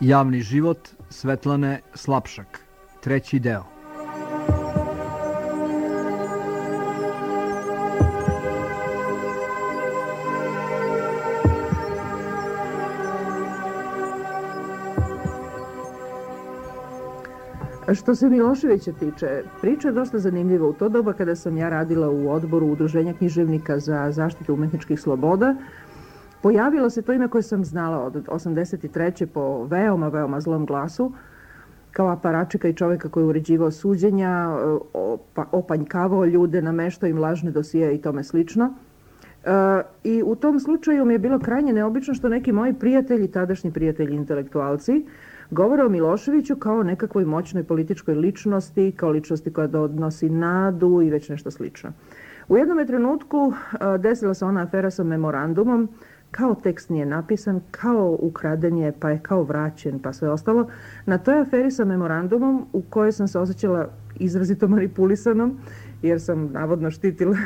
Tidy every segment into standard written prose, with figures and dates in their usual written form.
Javni život Svetlane Slapšak, 3. deo. Što se Miloševića tiče, priča je dosta zanimljiva. U to doba kada sam ja radila u odboru Udruženja književnika za zaštitu umetničkih sloboda, pojavilo se to ime koje sam znala od 83. po veoma zlom glasu, kao aparačika i čovjeka koji je uređivao suđenja, opanjkavao ljude, nameštao im lažne dosije i tome slično. I u tom slučaju mi je bilo krajnje neobično što neki moji prijatelji, tadašnji prijatelji intelektualci, govore o Miloševiću kao nekakvoj moćnoj političkoj ličnosti, kao ličnosti koja donosi nadu i već nešto slično. U jednom trenutku desila se ona afera sa memorandumom, kao tekst nije napisan, kao ukraden je, pa je kao vraćen, pa sve ostalo. Na toj aferi sa memorandumom, u kojoj sam se osjećala izrazito manipulisanom, jer sam navodno štitila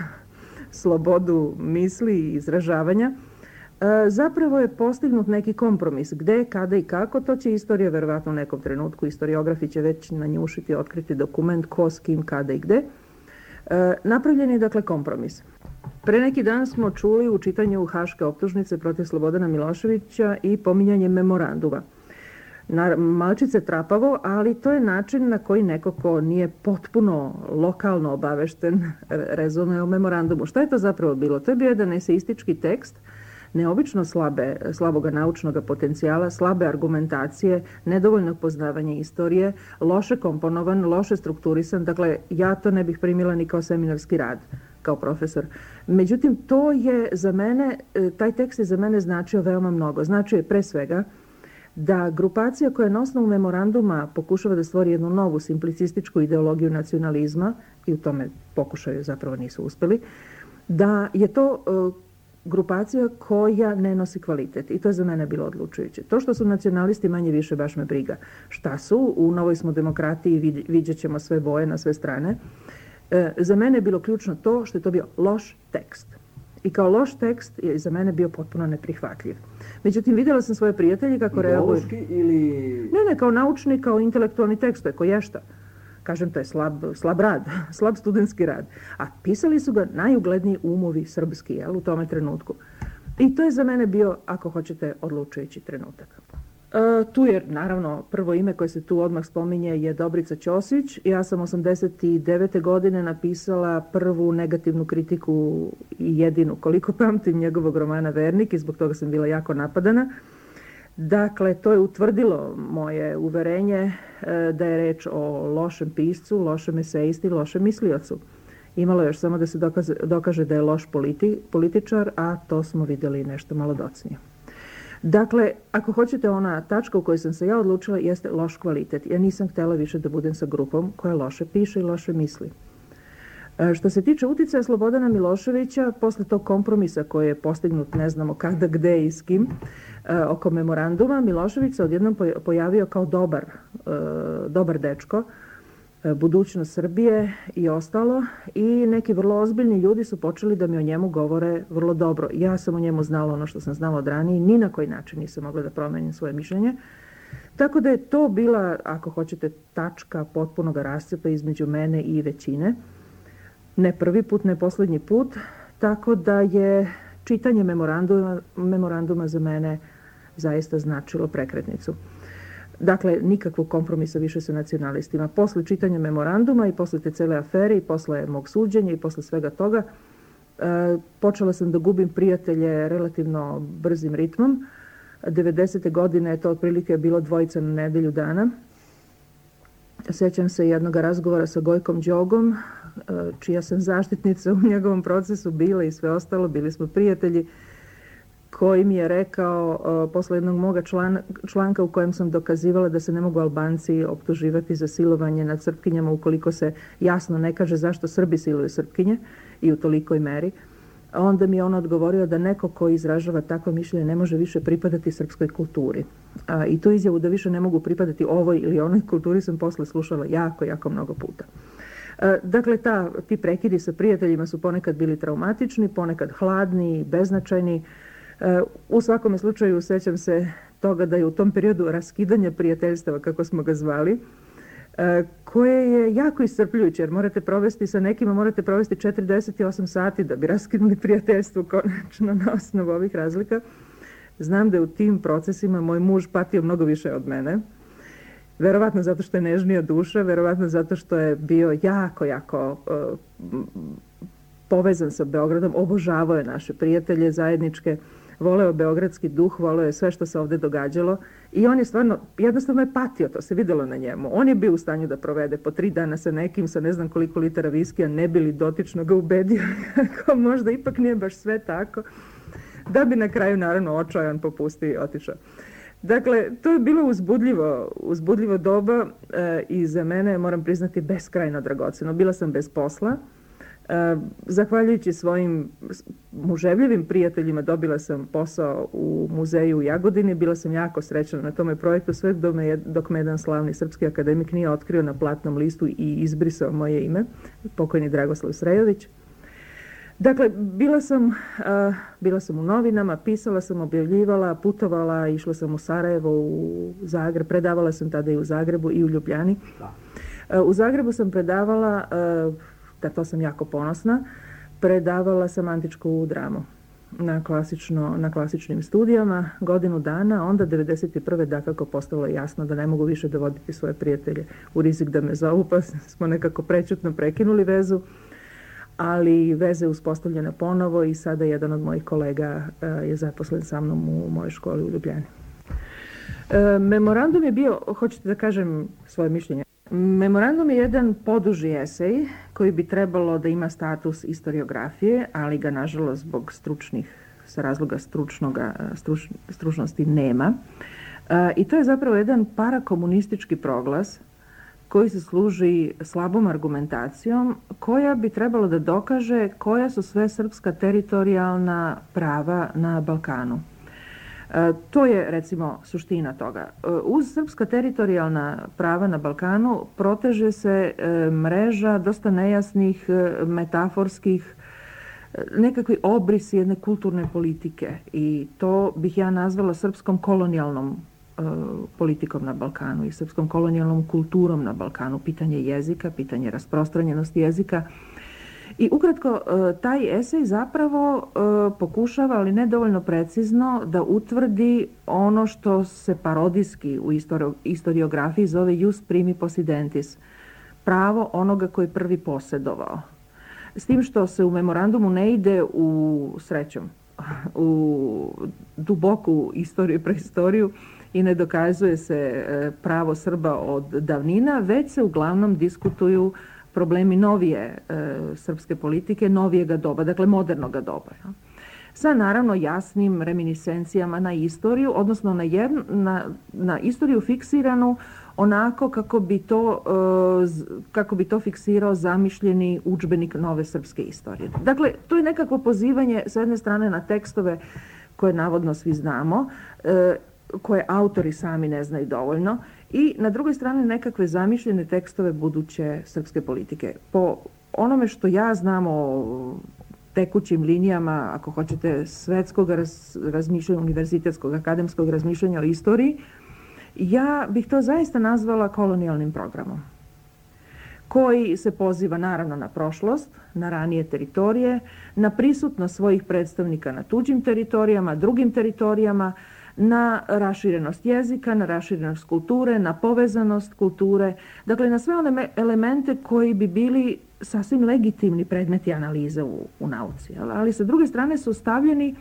slobodu misli i izražavanja, zapravo je postignut neki kompromis. Gde, kada i kako, to će istorija verovatno u nekom trenutku, historiografi će već nanjušiti, otkriti dokument ko, s kim, kada i gde. Napravljen je dakle kompromis. Pre neki dan smo čuli u čitanju haške optužnice protiv Slobodana Miloševića i pominjanje memoranduma. Malčice trapavo, ali to je način na koji neko ko nije potpuno lokalno obavešten rezonuje o memorandumu. Šta je to zapravo bilo? To je bio jedan eseistički tekst, neobično slaboga naučnog potencijala, slabe argumentacije, nedovoljnog poznavanja istorije, loše komponovan, loše strukturisan. Dakle, ja to ne bih primila ni kao seminarski rad, kao profesor. Međutim, to je za mene, taj tekst je za mene značio veoma mnogo. Značio je pre svega da grupacija koja na osnovu memoranduma pokušava da stvori jednu novu simplicističku ideologiju nacionalizma, i u tome pokušaju zapravo nisu uspeli, da je to grupacija koja ne nosi kvalitet. I to je za mene bilo odlučujuće. To što su nacionalisti manje više baš me briga. Šta su? U novoj smo demokratiji, vidjet ćemo sve boje na sve strane. Za mene je bilo ključno to što je to bio loš tekst. I kao loš tekst je za mene bio potpuno neprihvatljiv. Međutim, vidjela sam svoje prijatelje kako reaguju. Ideološki ili... Ne, kao naučni, kao intelektualni tekst, to je koješta. Kažem, to je slab rad, slab studentski rad. A pisali su ga najugledniji umovi srpski, u tome trenutku. I to je za mene bio, ako hoćete, odlučujući trenutak. Tu je, naravno, prvo ime koje se tu odmah spominje je Dobrica Ćosić. Ja sam 89. godine napisala prvu negativnu kritiku i jedinu, koliko pamtim, njegovog romana Vernik, i zbog toga sam bila jako napadana. Dakle, to je utvrdilo moje uverenje da je reč o lošem piscu, lošem esejisti, lošem misliocu. Imalo je još samo da se dokaže da je loš političar, a to smo vidjeli nešto malo docnije. Dakle, ako hoćete, ona tačka u kojoj sam se ja odlučila jeste loš kvalitet. Ja nisam htjela više da budem sa grupom koja loše piše i loše misli. Što se tiče uticaja Slobodana Miloševića, posle tog kompromisa koji je postignut ne znamo kada, gde i s kim, oko memoranduma, Milošević se odjednom pojavio kao dobar dečko, budućnost Srbije i ostalo, i neki vrlo ozbiljni ljudi su počeli da mi o njemu govore vrlo dobro. Ja sam o njemu znala ono što sam znala od ranije, ni na koji način nisam mogla da promenim svoje mišljenje. Tako da je to bila, ako hoćete, tačka potpunog rascepa između mene i većine. Ne prvi put, ne posljednji put, tako da je čitanje memoranduma za mene zaista značilo prekretnicu. Dakle, nikakvog kompromisa više sa nacionalistima. Posle čitanja memoranduma i posle te cele afere i posle mog suđenja i posle svega toga, počela sam da gubim prijatelje relativno brzim ritmom. 90. godine je to otprilike bilo 2 na nedelju dana. Sećam se jednog razgovora sa Gojkom Đogom, čija sam zaštitnica u njegovom procesu bila i sve ostalo, bili smo prijatelji, koji mi je rekao posle jednog moga članka u kojem sam dokazivala da se ne mogu Albanci optuživati za silovanje nad Srpkinjama ukoliko se jasno ne kaže zašto Srbi siluju Srpkinje i u tolikoj meri. Onda mi je on odgovorio da neko ko izražava takvo mišljenje ne može više pripadati srpskoj kulturi. I tu izjavu da više ne mogu pripadati ovoj ili onoj kulturi sam posle slušala jako mnogo puta. Dakle, ti prekidi sa prijateljima su ponekad bili traumatični, ponekad hladni, beznačajni. U svakome slučaju sećam se toga da je u tom periodu raskidanja prijateljstava, kako smo ga zvali, koje je jako iscrpljujuće, jer morate provesti sa nekima, morate provesti 48 sati da bi raskinuli prijateljstvo konačno na osnovu ovih razlika. Znam da je u tim procesima moj muž patio mnogo više od mene. Verovatno zato što je nežnija duša, verovatno zato što je bio jako povezan sa Beogradom, obožavao je naše prijatelje zajedničke, voleo beogradski duh, voleo je sve što se ovde događalo i on je stvarno, jednostavno je patio, to se videlo na njemu. On je bio u stanju da provede po 3 dana sa nekim, sa ne znam koliko litara viskija, ne bi li dotično ga ubedio, kako možda ipak nije baš sve tako, da bi na kraju naravno očajan popustio i otišao. Dakle, to je bilo uzbudljivo doba i za mene, moram priznati, beskrajno dragoceno. Bila sam bez posla. Zahvaljujući svojim muževljivim prijateljima dobila sam posao u muzeju u Jagodini. Bila sam jako srećna na tome projektu sve dok me jedan slavni srpski akademik nije otkrio na platnom listu i izbrisao moje ime, pokojni Dragoslav Srejović. Dakle, bila sam u novinama, pisala sam, objavljivala, putovala, išla sam u Sarajevo, u Zagreb, predavala sam tada i u Zagrebu i u Ljubljani. U Zagrebu sam predavala, da to sam jako ponosna, predavala sam antičku dramu na klasičnim studijama godinu dana, onda 1991. dakako postalo jasno da ne mogu više dovoditi svoje prijatelje u rizik da me zovu, pa smo nekako prečutno prekinuli vezu. Ali veza je uspostavljena ponovo i sada jedan od mojih kolega je zaposlen sa mnom u mojoj školi u Ljubljani. Memorandum je bio, hoćete da kažem svoje mišljenje, memorandum je jedan poduži esej koji bi trebalo da ima status istoriografije, ali ga nažalost zbog sa razloga stručnosti nema. I to je zapravo jedan parakomunistički proglas koji se služi slabom argumentacijom, koja bi trebalo da dokaže koja su sve srpska teritorijalna prava na Balkanu. To je, recimo, suština toga. Uz srpska teritorijalna prava na Balkanu proteže se mreža dosta nejasnih, metaforskih, nekakvi obrisi jedne kulturne politike i to bih ja nazvala srpskom kolonijalnom politikom na Balkanu i srpskom kolonijalnom kulturom na Balkanu, pitanje jezika, pitanje rasprostranjenosti jezika. I ukratko, taj esej zapravo pokušava, ali ne dovoljno precizno, da utvrdi ono što se parodijski u istoriografiji zove jus primi possidentis, pravo onoga koji prvi posjedovao. S tim što se u memorandumu ne ide u duboku istoriju, prehistoriju, i ne dokazuje se pravo Srba od davnina, već se uglavnom diskutuju problemi novije srpske politike, novijega doba, dakle modernoga doba. Sa naravno jasnim reminiscencijama na istoriju, odnosno na istoriju fiksiranu onako kako bi to fiksirao zamišljeni udžbenik nove srpske istorije. Dakle, to je nekako pozivanje s jedne strane na tekstove koje navodno svi znamo, koje autori sami ne znaju dovoljno, i na drugoj strani nekakve zamišljene tekstove buduće srpske politike. Po onome što ja znam o tekućim linijama, ako hoćete, svetskog razmišljanja, univerzitetskog, akademskog razmišljanja o istoriji, ja bih to zaista nazvala kolonijalnim programom, koji se poziva naravno na prošlost, na ranije teritorije, na prisutnost svojih predstavnika na tuđim teritorijama, drugim teritorijama, na raširenost jezika, na raširenost kulture, na povezanost kulture, dakle na sve one elemente koji bi bili sasvim legitimni predmeti analize u nauci. Ali sa druge strane su stavljeni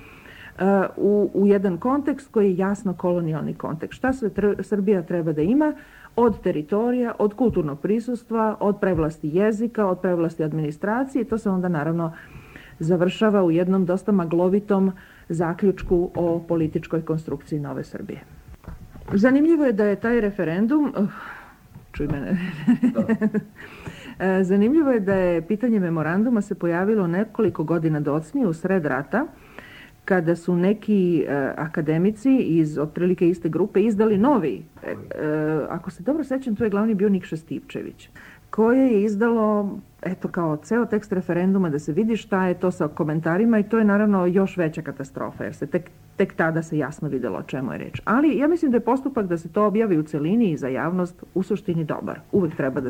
u jedan kontekst koji je jasno kolonijalni kontekst. Šta sve Srbija treba da ima od teritorija, od kulturnog prisustva, od prevlasti jezika, od prevlasti administracije, i to se onda naravno završava u jednom dosta maglovitom zaključku o političkoj konstrukciji nove Srbije. Zanimljivo je da je taj referendum, zanimljivo je da je pitanje memoranduma se pojavilo nekoliko godina docnije u sred rata, kada su neki akademici iz otprilike iste grupe izdali novi, ako se dobro sećam, to je glavni bio Nikša Stipčević, koje je izdalo, eto, kao ceo tekst referenduma da se vidi šta je to sa komentarima, i to je naravno još veća katastrofa, jer se tek tek tada se jasno vidjelo o čemu je reč. Ali ja mislim da je postupak da se to objavi u celini i za javnost u suštini dobar. Uvijek treba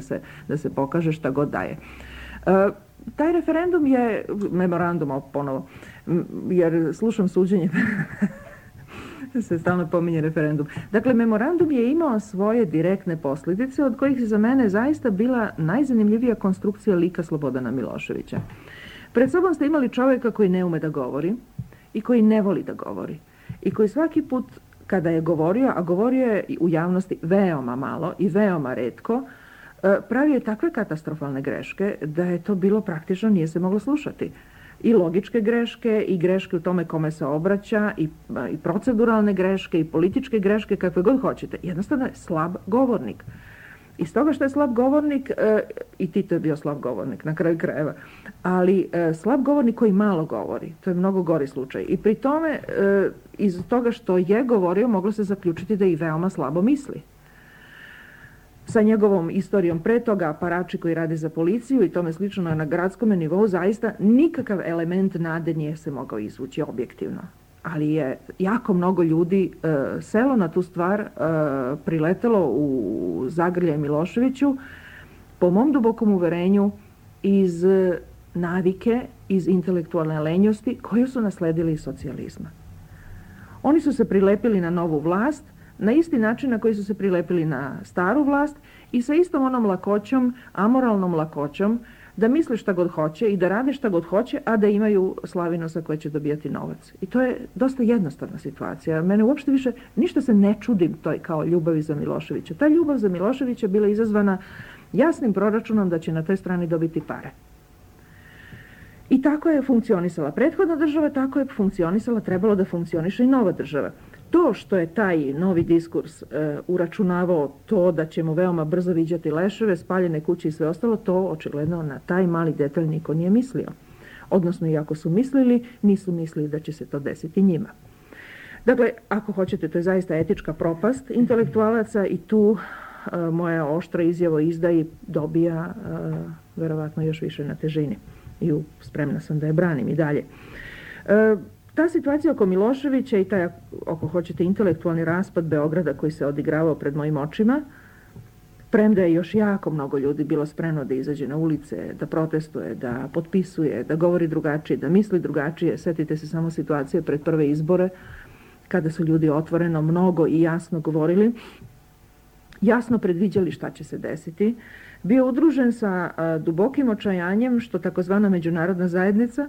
da se pokaže šta god daje. Taj referendum je, memorandum ponovo, jer slušam suđenje, se stalno pominje referendum. Dakle, memorandum je imao svoje direktne posljedice od kojih je za mene zaista bila najzanimljivija konstrukcija lika Slobodana Miloševića. Pred sobom ste imali čovjeka koji ne ume da govori i koji ne voli da govori i koji svaki put kada je govorio, a govorio je u javnosti veoma malo i veoma retko, pravio je takve katastrofalne greške da je to bilo praktično, nije se moglo slušati. I logičke greške i greške u tome kome se obraća i proceduralne greške i političke greške, kakve god hoćete. Jednostavno je slab govornik. I stoga što je slab govornik, i Tito je bio slab govornik na kraju krajeva, ali slab govornik koji malo govori, to je mnogo gori slučaj. I pri tome, iz toga što je govorio, moglo se zaključiti da i veoma slabo misli. Sa njegovom istorijom pre toga, aparači koji radi za policiju i tome slično na gradskom nivou, zaista nikakav element nade nije se mogao izvući objektivno. Ali je jako mnogo ljudi selo na tu stvar, priletelo u zagrljaj Miloševiću, po mom dubokom uverenju, iz navike, iz intelektualne lenjosti koju su nasledili iz socijalizma. Oni su se prilepili na novu vlast, na isti način na koji su se prilepili na staru vlast i sa istom onom lakoćom, amoralnom lakoćom, da misle šta god hoće i da rade šta god hoće, a da imaju slavinosa koje će dobijati novac. I to je dosta jednostavna situacija. Mene uopšte više, ništa se ne čudim toj kao ljubavi za Miloševića. Ta ljubav za Miloševića bila izazvana jasnim proračunom da će na toj strani dobiti pare. I tako je funkcionisala prethodna država, tako je funkcionisala, trebalo da funkcioniše i nova država. To što je taj novi diskurs uračunavao to da ćemo veoma brzo viđati leševe, spaljene kuće i sve ostalo, to očigledno na taj mali detalj niko nije mislio. Odnosno, i ako su mislili, nisu mislili da će se to desiti njima. Dakle, ako hoćete, to je zaista etička propast intelektualaca i tu moja oštra izjava o izdaji dobija verovatno još više na težini. I spremna sam da je branim i dalje. Ta situacija oko Miloševića i taj, ako hoćete, intelektualni raspad Beograda koji se odigravao pred mojim očima, premda je još jako mnogo ljudi bilo spremno da izađe na ulice, da protestuje, da potpisuje, da govori drugačije, da misli drugačije. Sjetite se samo situacije pred prve izbore, kada su ljudi otvoreno mnogo i jasno govorili, jasno predviđali šta će se desiti, bio udružen sa dubokim očajanjem što takozvana međunarodna zajednica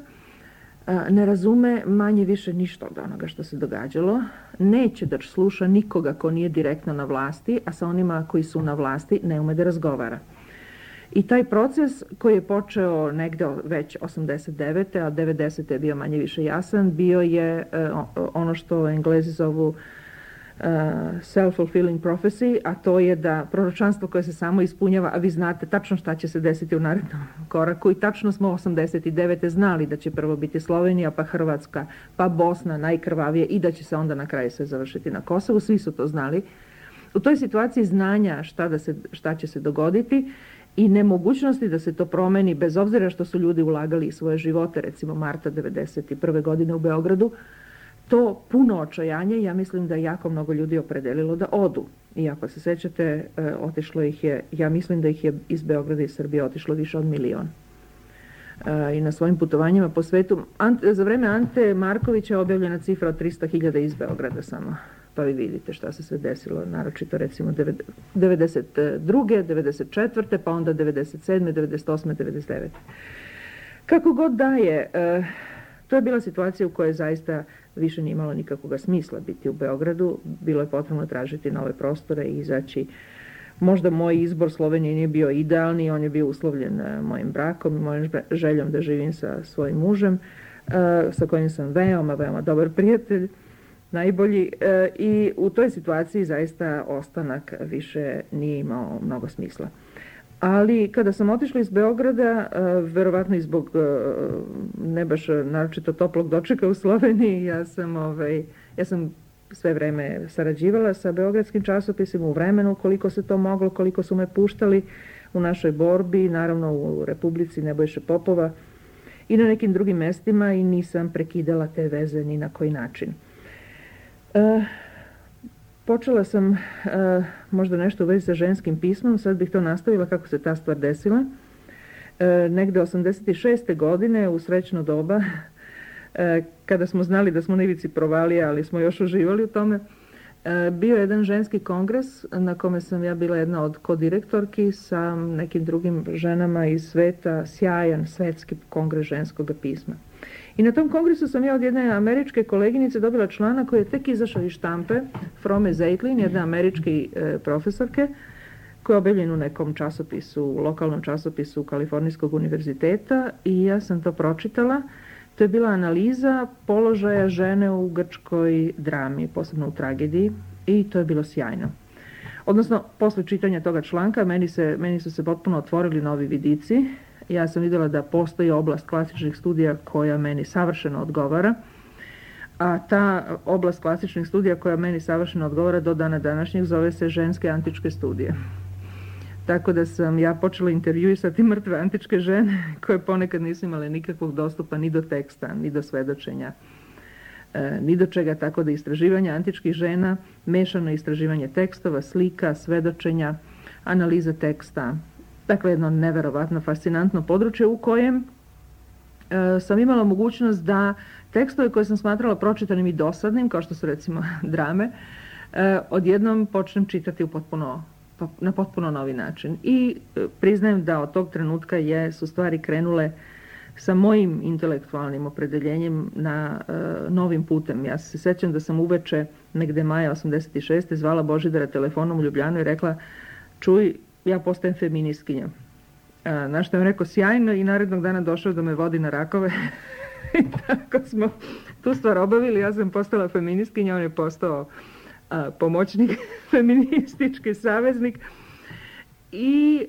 ne razume manje više ništa od onoga što se događalo, neće da sluša nikoga ko nije direktno na vlasti, a sa onima koji su na vlasti ne ume da razgovara. I taj proces koji je počeo negde već 89. a 90. je bio manje više jasan, bio je ono što Englezi zovu self-fulfilling prophecy, a to je da proročanstvo koje se samo ispunjava, a vi znate tačno šta će se desiti u narednom koraku i tačno smo 89. znali da će prvo biti Slovenija, pa Hrvatska, pa Bosna, najkrvavije i da će se onda na kraju sve završiti na Kosovu, svi su to znali. U toj situaciji znanja šta će se dogoditi i nemogućnosti da se to promeni, bez obzira što su ljudi ulagali svoje živote, recimo marta 91. godine u Beogradu, to puno očajanje, ja mislim da je jako mnogo ljudi opredelilo da odu. I ako se sećate, otišlo ih je, ja mislim da ih je iz Beograda i Srbije otišlo više od 1 milion. I na svojim putovanjima po svetu. Za vreme Ante Markovića je objavljena cifra od 300.000 iz Beograda samo. Pa vi vidite šta se sve desilo, naročito recimo 92. 94. pa onda 97. 98. 99. Kako god da je, to je bila situacija u kojoj zaista više nije imalo nikakvog smisla biti u Beogradu. Bilo je potrebno tražiti nove prostore i izaći. Možda moj izbor Slovenije nije bio idealni, on je bio uslovljen mojim brakom i mojom željom da živim sa svojim mužem, sa kojim sam veoma dobar prijatelj, najbolji. I u toj situaciji zaista ostanak više nije imao mnogo smisla. Ali kada sam otišla iz Beograda, verovatno i zbog ne baš naročito toplog dočeka u Sloveniji, ja sam sve vreme sarađivala sa beogradskim časopisima u vremenu koliko se to moglo, koliko su me puštali u našoj borbi, naravno u Republici Nebojše Popova i na nekim drugim mestima i nisam prekidala te veze ni na koji način. Počela sam možda nešto u vezi sa ženskim pismom, sad bih to nastavila kako se ta stvar desila. Negde 86. godine u srećno doba, kada smo znali da smo na ivici provalija, ali smo još uživali u tome, bio je jedan ženski kongres na kome sam ja bila jedna od kodirektorki sa nekim drugim ženama iz sveta, sjajan svetski kongres ženskog pisma. I na tom kongresu sam ja od jedne američke koleginice dobila članak koji je tek izašao iz štampe, Frome Zeitlin, jedne američke profesorke, koja je objavljen u nekom časopisu, lokalnom časopisu Kalifornijskog univerziteta, i ja sam to pročitala. To je bila analiza položaja žene u grčkoj drami, posebno u tragediji, i to je bilo sjajno. Odnosno, posle čitanja toga članka, meni su se potpuno otvorili novi vidici. Ja sam vidjela da postoji oblast klasičnih studija koja meni savršeno odgovara, a ta oblast klasičnih studija koja meni savršeno odgovara do dana današnjeg zove se ženske antičke studije. Tako da sam ja počela intervjuisati mrtve antičke žene koje ponekad nisu imale nikakvog dostupa ni do teksta, ni do svedočenja, ni do čega, tako da istraživanje antičkih žena, mešano istraživanje tekstova, slika, svedočenja, analiza teksta, dakle jedno neverovatno fascinantno područje u kojem sam imala mogućnost da tekstove koje sam smatrala pročitanim i dosadnim, kao što su recimo drame, odjednom počnem čitati na potpuno novi način. I priznajem da od tog trenutka su stvari krenule sa mojim intelektualnim opredeljenjem na novim putem. Ja se sjećam da sam uveče, negde maja 86. zvala Božidara telefonom u Ljubljanu i rekla: čuj, ja postajem feministkinja. Na što je rekao: sjajno, i narednog dana došao da me vodi na rakove. I tako smo tu stvar obavili, ja sam postala feministkinja, on je postao pomoćnik, feministički saveznik. I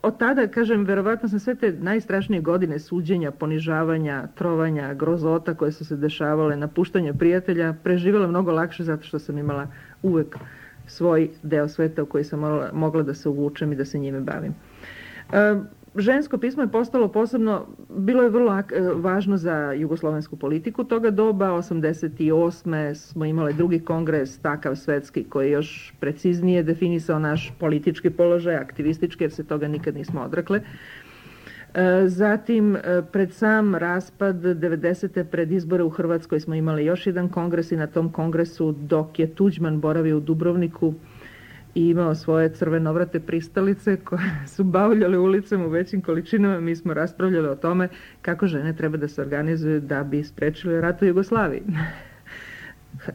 od tada, kažem, verovatno sam sve te najstrašnije godine suđenja, ponižavanja, trovanja, grozota koje su se dešavale, napuštanja prijatelja, preživjela mnogo lakše zato što sam imala uvek svoj deo sveta u koji sam mogla da se uvučem i da se njime bavim. Žensko pismo je postalo posebno, bilo je vrlo važno za jugoslovensku politiku toga doba. 88. smo imali drugi kongres, takav svetski, koji je još preciznije definisao naš politički položaj, aktivistički, jer se toga nikad nismo odrekle. Zatim, pred sam raspad 90. pred izbore u Hrvatskoj smo imali još jedan kongres, i na tom kongresu, dok je Tuđman boravio u Dubrovniku i imao svoje crvenovrate pristalice koje su bavljale ulicom u većim količinama, mi smo raspravljali o tome kako žene treba da se organizuju da bi sprečile rat u Jugoslaviji.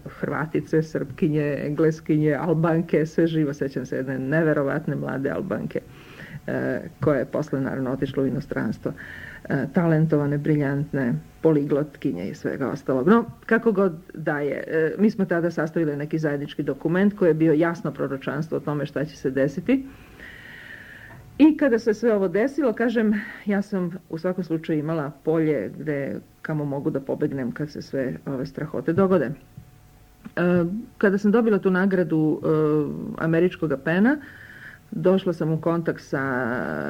Hrvatice, Srpkinje, Engleskinje, Albanke, sve živo. Sjećam se jedne neverovatne mlade Albanke koje je posle naravno otišlo u inostranstvo. Talentovane, briljantne, poliglotkinje i svega ostalog. No, kako god da je, mi smo tada sastavili neki zajednički dokument koji je bio jasno proročanstvo o tome šta će se desiti. I kada se sve ovo desilo, kažem, ja sam u svakom slučaju imala polje kamo mogu da pobegnem kad se sve ove strahote dogode. Kada sam dobila tu nagradu američkog PEN-a, došla sam u kontakt sa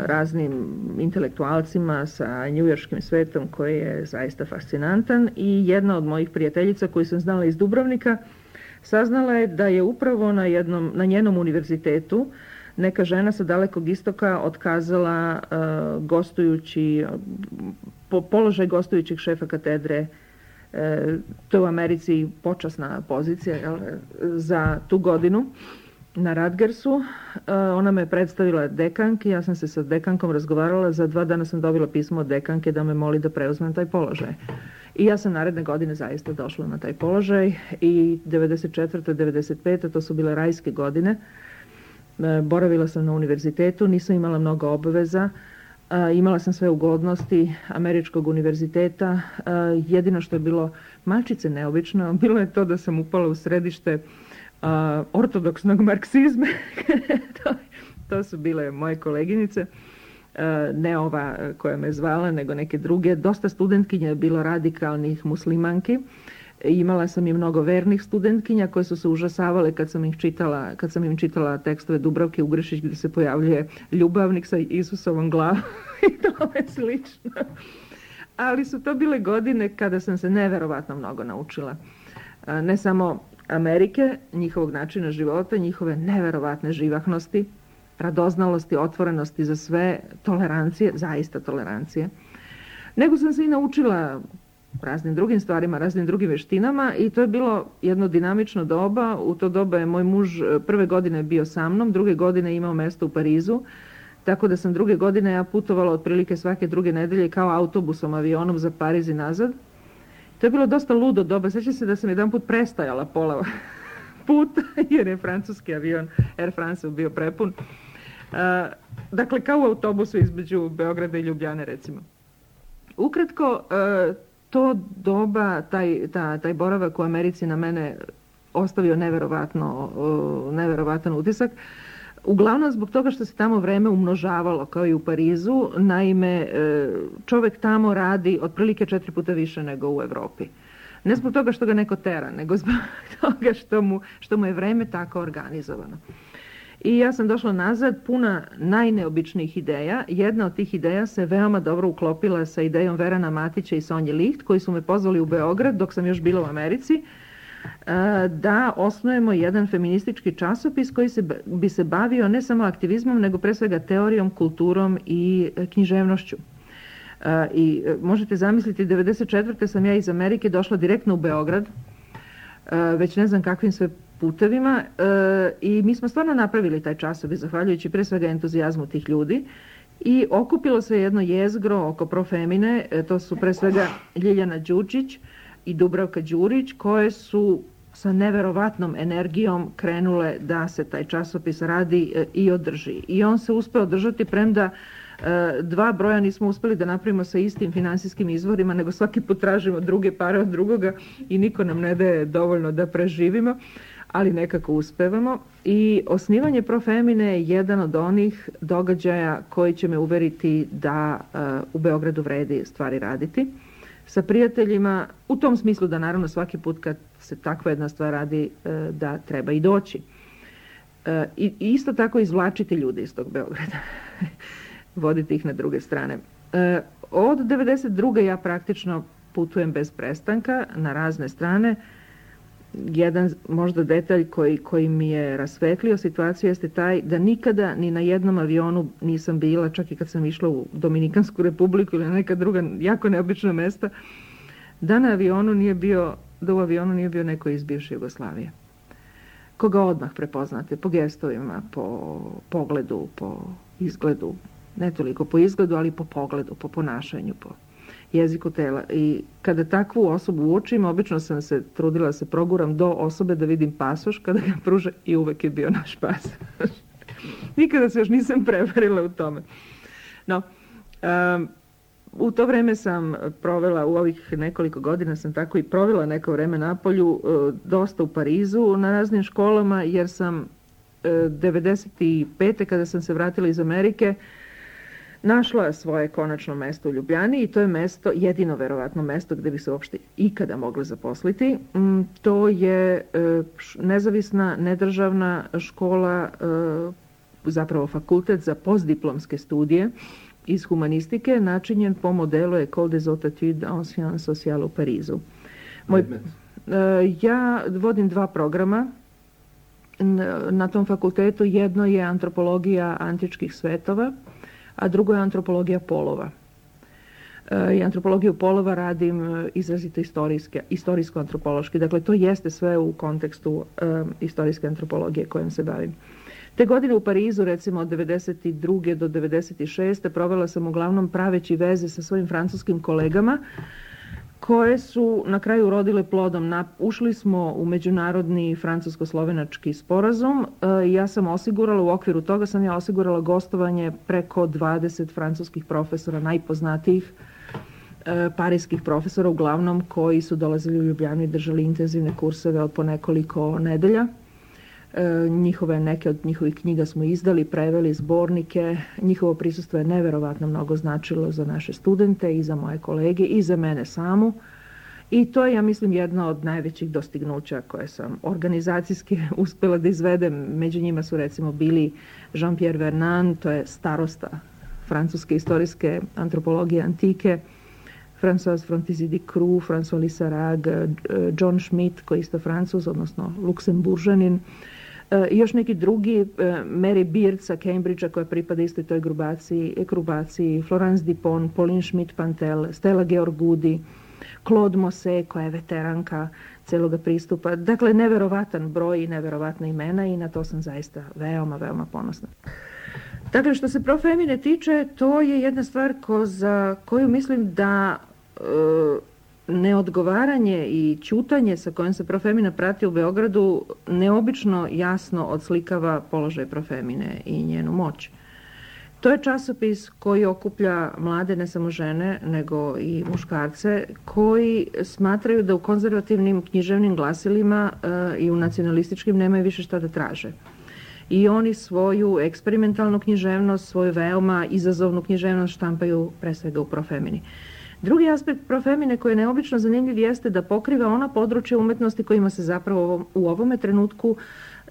raznim intelektualcima, sa njujorškim svetom koji je zaista fascinantan, i jedna od mojih prijateljica koju sam znala iz Dubrovnika saznala je da je upravo na njenom univerzitetu neka žena sa Dalekog istoka otkazala položaj gostujućeg šefa katedre. To je u Americi počasna pozicija za tu godinu na Rutgersu. Ona me predstavila dekanki, ja sam se sa dekankom razgovarala, za 2 dana sam dobila pismo od dekanke da me moli da preuzmem taj položaj. I ja sam naredne godine zaista došla na taj položaj, i 94. 95. to su bile rajske godine. Boravila sam na univerzitetu, nisam imala mnogo obaveza, imala sam sve ugodnosti američkog univerziteta. Jedino što je bilo malčice neobično, bilo je to da sam upala u središte ortodoksnog marksizma. To su bile moje koleginice, ne ova koja me zvala, nego neke druge. Dosta studentkinja je bilo radikalnih muslimanki. Imala sam i mnogo vernih studentkinja koje su se užasavale kad sam im čitala tekstove Dubravke Ugrešić gdje se pojavljuje ljubavnik sa Isusovom glavom i tome slično. Ali su to bile godine kada sam se neverovatno mnogo naučila. Ne samo Amerike, njihovog načina života, njihove neverovatne živahnosti, radoznalosti, otvorenosti za sve, tolerancije, zaista tolerancije. Nego sam se i naučila raznim drugim stvarima, raznim drugim veštinama i to je bilo jedno dinamično doba. U to doba je moj muž prve godine bio sa mnom, druge godine imao mesto u Parizu, tako da sam druge godine ja putovala otprilike svake druge nedelje kao autobusom, avionom za Pariz i nazad. To je bilo dosta ludo doba. Sjećam se da sam jedan put prestajala pola puta jer je francuski avion Air France bio prepun. Dakle, kao u autobusu između Beograda i Ljubljane, recimo. Ukratko, to doba, taj boravak u Americi na mene ostavio neverovatan utisak. Uglavnom zbog toga što se tamo vreme umnožavalo kao i u Parizu. Naime, čovjek tamo radi otprilike 4 puta više nego u Evropi. Ne zbog toga što ga neko tera, nego zbog toga što mu je vreme tako organizovano. I ja sam došla nazad puna najneobičnijih ideja. Jedna od tih ideja se veoma dobro uklopila sa idejom Verana Matića i Sonje Licht, koji su me pozvali u Beograd dok sam još bila u Americi, da osnujemo jedan feministički časopis koji bi se bavio ne samo aktivizmom, nego pre svega teorijom, kulturom i književnošću. I možete zamisliti, 1994. sam ja iz Amerike došla direktno u Beograd, već ne znam kakvim sve putevima, i mi smo stvarno napravili taj časopis zahvaljujući pre svega entuzijazmu tih ljudi i okupilo se jedno jezgro oko Profemine, to su pre svega Ljiljana Đurđić i Dubravka Đurić, koje su sa neverovatnom energijom krenule da se taj časopis radi i održi. I on se uspeo održati, premda 2 broja nismo uspeli da napravimo sa istim finansijskim izvorima, nego svaki put tražimo druge pare od drugoga i niko nam ne daje dovoljno da preživimo, ali nekako uspevamo. I osnivanje Profemine je jedan od onih događaja koji će me uveriti da u Beogradu vredi stvari raditi. Sa prijateljima, u tom smislu da naravno svaki put kad se takva jedna stvar radi da treba i doći. I isto tako izvlačiti ljude iz tog Beograda. Voditi ih na druge strane. Od 1992. ja praktično putujem bez prestanka na razne strane. Jedan možda detalj koji mi je rasvetlio situaciju jeste taj da nikada ni na jednom avionu nisam bila, čak i kad sam išla u Dominikansku republiku ili na neka druga jako neobična mesta, da u avionu nije bio neko iz bivše Jugoslavije. Koga odmah prepoznate po gestovima, po pogledu, po izgledu, ne toliko po izgledu, ali po pogledu, po ponašanju, po jeziku tela. I kada takvu osobu uočim, obično sam se trudila da se proguram do osobe da vidim pasoš kada ga pruže i uvek je bio naš pasoš. Nikada se još nisam prevarila u tome. No, u to vreme sam provela, u ovih nekoliko godina sam tako i provela neko vreme napolju, dosta u Parizu na raznim školama, jer sam 1995. kada sam se vratila iz Amerike, našla svoje konačno mesto u Ljubljani i to je mesto, jedino verovatno mesto gde bi se uopšte ikada mogla zaposliti. To je nezavisna, nedržavna škola, zapravo fakultet za postdiplomske studije iz humanistike, načinjen po modelu École des Hautes Études en Sciences Sociales u Parizu. Ja vodim 2 programa na tom fakultetu. Jedno je antropologija antičkih svetova, a drugo je antropologija polova. I antropologiju polova radim izrazito istorijsko-antropološki. Dakle, to jeste sve u kontekstu istorijske antropologije kojom se bavim. Te godine u Parizu, recimo od 1992. do 1996. provela sam uglavnom praveći veze sa svojim francuskim kolegama, koje su na kraju urodile plodom. Ušli smo u međunarodni francusko-slovenački sporazum. Ja sam osigurala, u okviru toga sam ja osigurala gostovanje preko 20 francuskih profesora, najpoznatijih parijskih profesora, uglavnom koji su dolazili u Ljubljanu i držali intenzivne kurseve od po nekoliko nedelja. Neke od njihovih knjiga smo izdali, preveli zbornike. Njihovo prisustvo je neverovatno mnogo značilo za naše studente i za moje kolege i za mene samu. I to je, ja mislim, jedno od najvećih dostignuća koje sam organizacijski uspjela da izvedem. Među njima su recimo bili Jean-Pierre Vernant, to je starosta francuske istorijske antropologije antike, François Frontizi de Croo, François Lissarag, John Schmidt, koji je isto Francuz, odnosno Luksemburžanin, i još neki drugi, Mary Beard sa Cambridgea koja pripada istoj toj grupaciji, Florence Dupont, Pauline Schmidt-Pantel, Stella Georgudi, Claude Mosse koja je veteranka celoga pristupa. Dakle, neverovatan broj i neverovatna imena i na to sam zaista veoma, veoma ponosna. Dakle, što se Profemine tiče, to je jedna stvar za koju mislim da neodgovaranje i ćutanje sa kojim se Profemina prati u Beogradu neobično jasno odslikava položaj Profemine i njenu moć. To je časopis koji okuplja mlade, ne samo žene, nego i muškarce, koji smatraju da u konzervativnim književnim glasilima i u nacionalističkim nemaju više šta da traže. I oni svoju eksperimentalnu književnost, svoju veoma izazovnu književnost štampaju pre svega u Profemini. Drugi aspekt Profemine koji je neobično zanimljiv jeste da pokriva ona područja umetnosti kojima se zapravo u ovome trenutku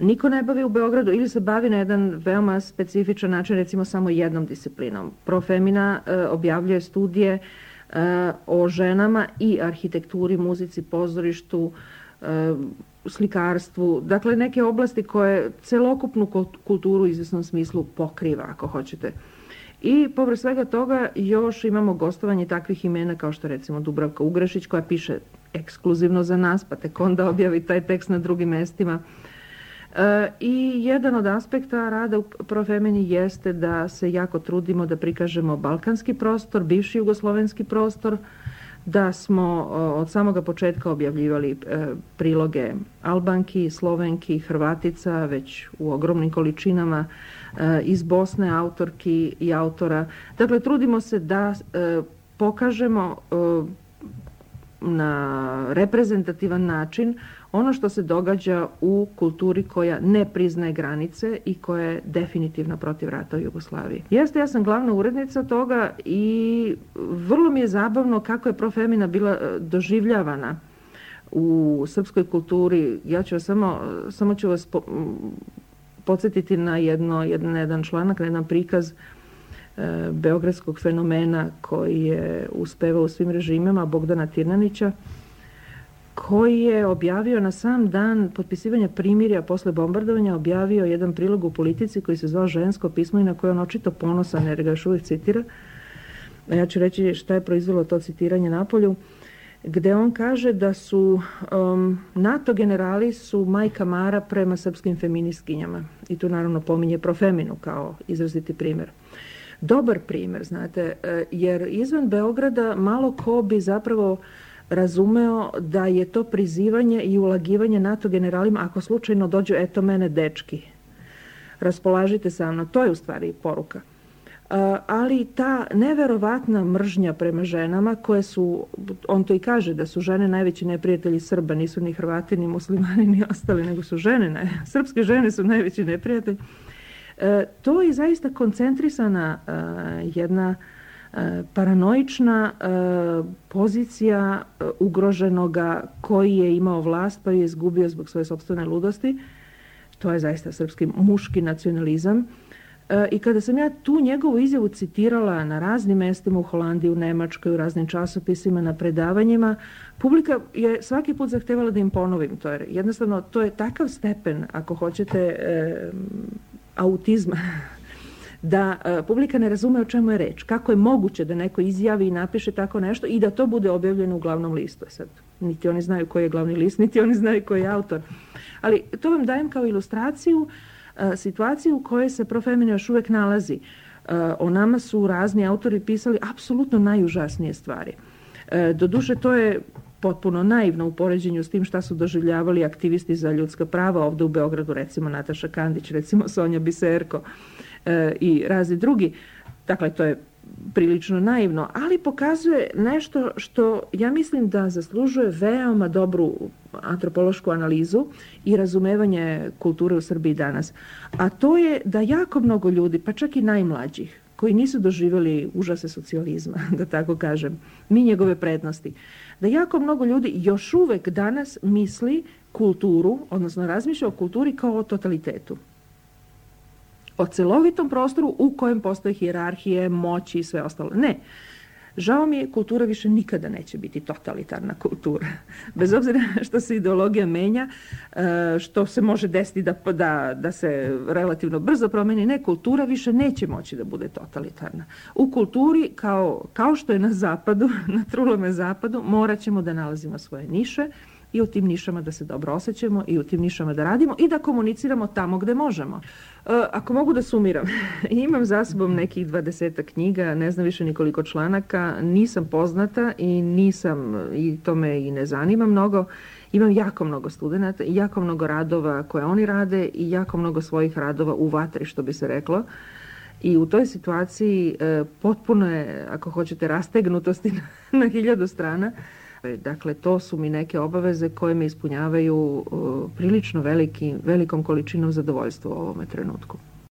niko ne bavi u Beogradu ili se bavi na jedan veoma specifičan način, recimo samo jednom disciplinom. Profemina objavljuje studije o ženama i arhitekturi, muzici, pozorištu, slikarstvu, dakle neke oblasti koje celokupnu kulturu u izvesnom smislu pokriva, ako hoćete. I povrh svega toga još imamo gostovanje takvih imena kao što recimo Dubravka Ugrešić koja piše ekskluzivno za nas, pa tek onda objavi taj tekst na drugim mestima. I jedan od aspekta rada u Profemini jeste da se jako trudimo da prikažemo balkanski prostor, bivši jugoslovenski prostor, da smo od samoga početka objavljivali priloge Albanki, Slovenki, Hrvatica, već u ogromnim količinama, iz Bosne autorki i autora. Dakle, trudimo se da pokažemo na reprezentativan način ono što se događa u kulturi koja ne priznaje granice i koja je definitivno protiv rata u Jugoslaviji. Jeste, ja sam glavna urednica toga i vrlo mi je zabavno kako je Profemina bila doživljavana u srpskoj kulturi. Ja ću vas samo ću vas podsjetiti na jedan članak, na jedan prikaz beogradskog fenomena koji je uspevao u svim režimima, Bogdana Tirnanića, koji je objavio na sam dan potpisivanja primirja posle bombardovanja, objavio jedan prilog u Politici koji se zvao Žensko pismo i na koje on očito ponosan jer ga još uvijek citira. Ja ću reći šta je proizvelo to citiranje napolju, gde on kaže da su NATO generali su majka Mara prema srpskim feministkinjama. I tu naravno pominje Profeminu kao izraziti primjer. Dobar primjer, znate, jer izvan Beograda malo ko bi zapravo razumeo da je to prizivanje i ulagivanje NATO generalima ako slučajno dođu, eto mene dečki, raspolažite sa mnom, to je u stvari poruka. Ali ta neverovatna mržnja prema ženama koje su, on to i kaže da su žene najveći neprijatelji Srba, nisu ni Hrvati, ni muslimani, ni ostali, nego su žene, srpske žene su najveći neprijatelji. To je zaista koncentrisana jedna paranoična pozicija ugroženoga koji je imao vlast pa je izgubio zbog svoje sopstvene ludosti. To je zaista srpski muški nacionalizam. I kada sam ja tu njegovu izjavu citirala na raznim mestima u Holandiji, u Nemačkoj, u raznim časopisima, na predavanjima, publika je svaki put zahtevala da im ponovim to. Jer jednostavno to je takav stepen, ako hoćete, autizma, da publika ne razume o čemu je reč. Kako je moguće da neko izjavi i napiše tako nešto i da to bude objavljeno u glavnom listu. Sad, niti oni znaju koji je glavni list, niti oni znaju koji je autor. Ali to vam dajem kao ilustraciju situaciju u kojoj se Profemina još uvijek nalazi. O nama su razni autori pisali apsolutno najužasnije stvari. Doduše, to je potpuno naivno u poređenju s tim šta su doživljavali aktivisti za ljudska prava ovdje u Beogradu, recimo Nataša Kandić, recimo Sonja Biserko i razni drugi. Dakle, to je prilično naivno, ali pokazuje nešto što ja mislim da zaslužuje veoma dobru antropološku analizu i razumevanje kulture u Srbiji danas. A to je da jako mnogo ljudi, pa čak i najmlađih, koji nisu doživjeli užase socijalizma, da tako kažem, ni njegove prednosti, da jako mnogo ljudi još uvek danas misli kulturu, odnosno razmišlja o kulturi kao o totalitetu. O celovitom prostoru u kojem postoje hijerarhije, moći i sve ostalo. Ne. Žao mi je, kultura više nikada neće biti totalitarna kultura. Bez obzira što se ideologija menja, što se može desiti da se relativno brzo promeni, ne, kultura više neće moći da bude totalitarna. U kulturi, kao što je na zapadu, na trulome zapadu, morat ćemo da nalazimo svoje niše i u tim nišama da se dobro osjećamo i u tim nišama da radimo i da komuniciramo tamo gde možemo. Ako mogu da sumiram, imam za sobom nekih 20 knjiga, ne znam više nikoliko članaka, nisam poznata i to me i ne zanima mnogo. Imam jako mnogo studenata i jako mnogo radova koje oni rade i jako mnogo svojih radova u vatri, što bi se reklo. I u toj situaciji potpuno je, ako hoćete, rastegnutosti na 1000 strana. Dakle, to su mi neke obaveze koje me ispunjavaju prilično velikom količinom zadovoljstva u ovome trenutku.